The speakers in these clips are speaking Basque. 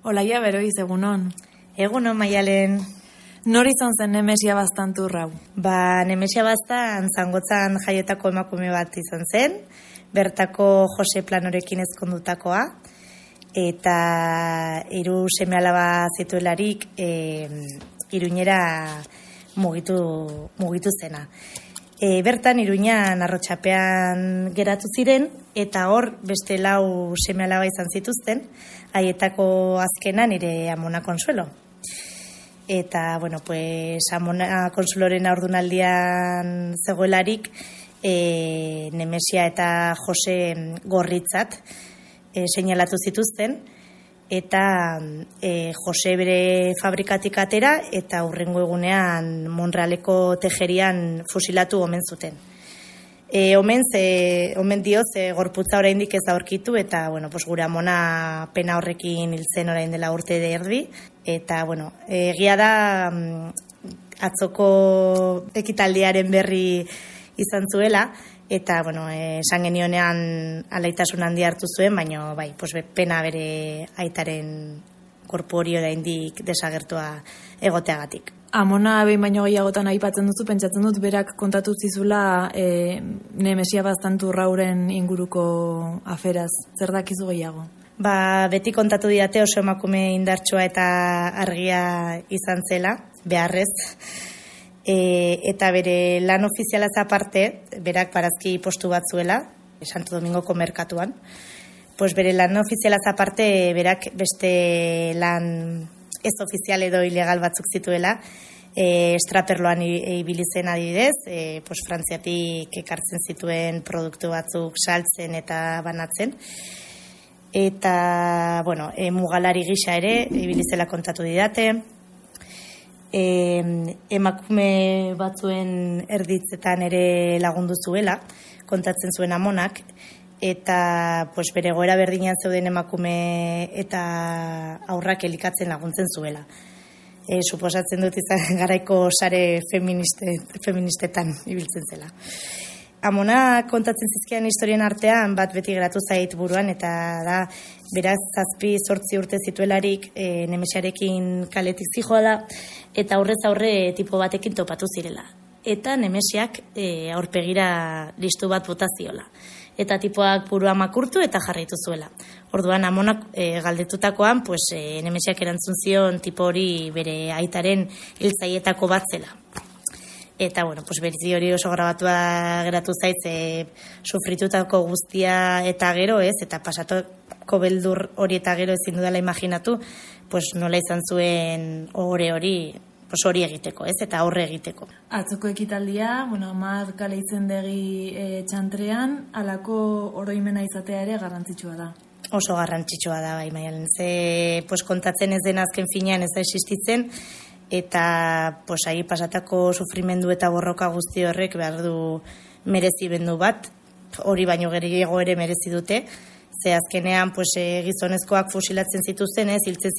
Olaia Beroiz, egunon. Egunon, Maialen. Nor izan zen Nemesia Baztanturrau? Nemesia Baztan Zangotzan jaietako emakume bat izan zen, bertako Jose Planorekin ezkondutakoa, eta 3 seme-alaba zituelarik Iruñera mugitu zena. Bertan Iruñan Arrotxapean geratu ziren, eta hor beste 4 seme-alaba izan zituzten, haietako azkena nire Amona Consuelo. Eta, Amona Consueloren haurdunaldian zegoelarik, Nemesia eta Jose gorritzat seinalatu zituzten, eta Jose bere fabrikatik atera, eta hurrengo egunean Monrealeko tejerian fusilatu omen zuten. Omen dioz, gorputza oraindik ez aurkitu, eta gure Amona pena horrekin hil zen orain dela urte erdi, eta egia da atzoko ekitaldiaren berri izan zuela, eta esan genionean alaitasun handi hartu zuen, baina pena bere aitaren korpu hori oraindik desagertua egoteagatik. Amona behin baino gehiagotan aipatzen duzu, pentsatzen dut berak kontatu zizula Nemesia Baztanturrauren inguruko aferaz. Zer dakizu gehiago? Beti kontatu didate oso emakume indartsua eta argia izan zela, beharrez. Eta bere lan ofizialaz aparte, berak barazki postu bat zuela, Santo Domingoko merkatuan, bere lan ofizialaz aparte, berak beste lan ez ofizial edo ilegal batzuk zituela, estraperloan ibili zen adibidez, Frantziatik ekartzen zituen produktu batzuk saltzen eta banatzen, eta mugalari gisa ere ibili zela kontatu didate. Emakume batzuen erditzetan ere lagundu zuela, kontatzen zuen Amonak, eta bere egoera berdinean zeuden emakume eta aurrak elikatzen laguntzen zuela. Suposatzen dut izan garaiko sare feministetan ibiltzen zela. Amona kontatzen zizkian historien artean bat beti geratu zait buruan, eta da beraz 7-8 urte zituelarik Nemesiarekin kaletik zijoa da, eta aurrez aurre tipo batekin topatu zirela. Eta Nemesiak aurpegira listu bat bota ziola. Eta tipoak burua makurtu eta jarraitu zuela. Orduan Amonak galdetutakoan, Nemesiak erantzun zion tipo hori bere aitaren hiltzaietako bat zela. Eta, beritzi hori oso grabatua geratu zaitz, sufritutako guztia eta gero, eta pasatuko beldur hori eta gero ezin dudala imaginatu, nola izan zuen hori egiteko, eta aurre egiteko. Atzoko ekitaldia, Mar kale izendegi txantrean, halako oroimena izatea ere garrantzitsua da. Oso garrantzitsua da, bai, Maialen. Kontatzen ez den azken finean ez da existitzen, eta ahi pasatako sufrimendu eta borroka guzti horrek behar du merezimendu bat, hori baino gehiago ere merezi dute, ze azkenean gizonezkoak fusilatzen zituzten, hiltzen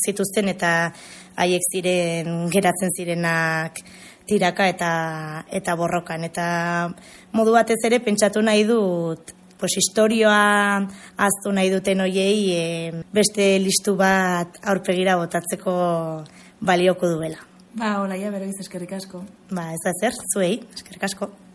zituzten, eta haiek geratzen zirenak tiraka eta borrokan. Eta modu batez ere pentsatu nahi dut, historioa ahaztu nahi duten hoiei beste listu bat aurpegira botatzeko balioko duela. Olaia Beroiz, eskerrik asko. Ez da zer, zuei, eskerrik asko.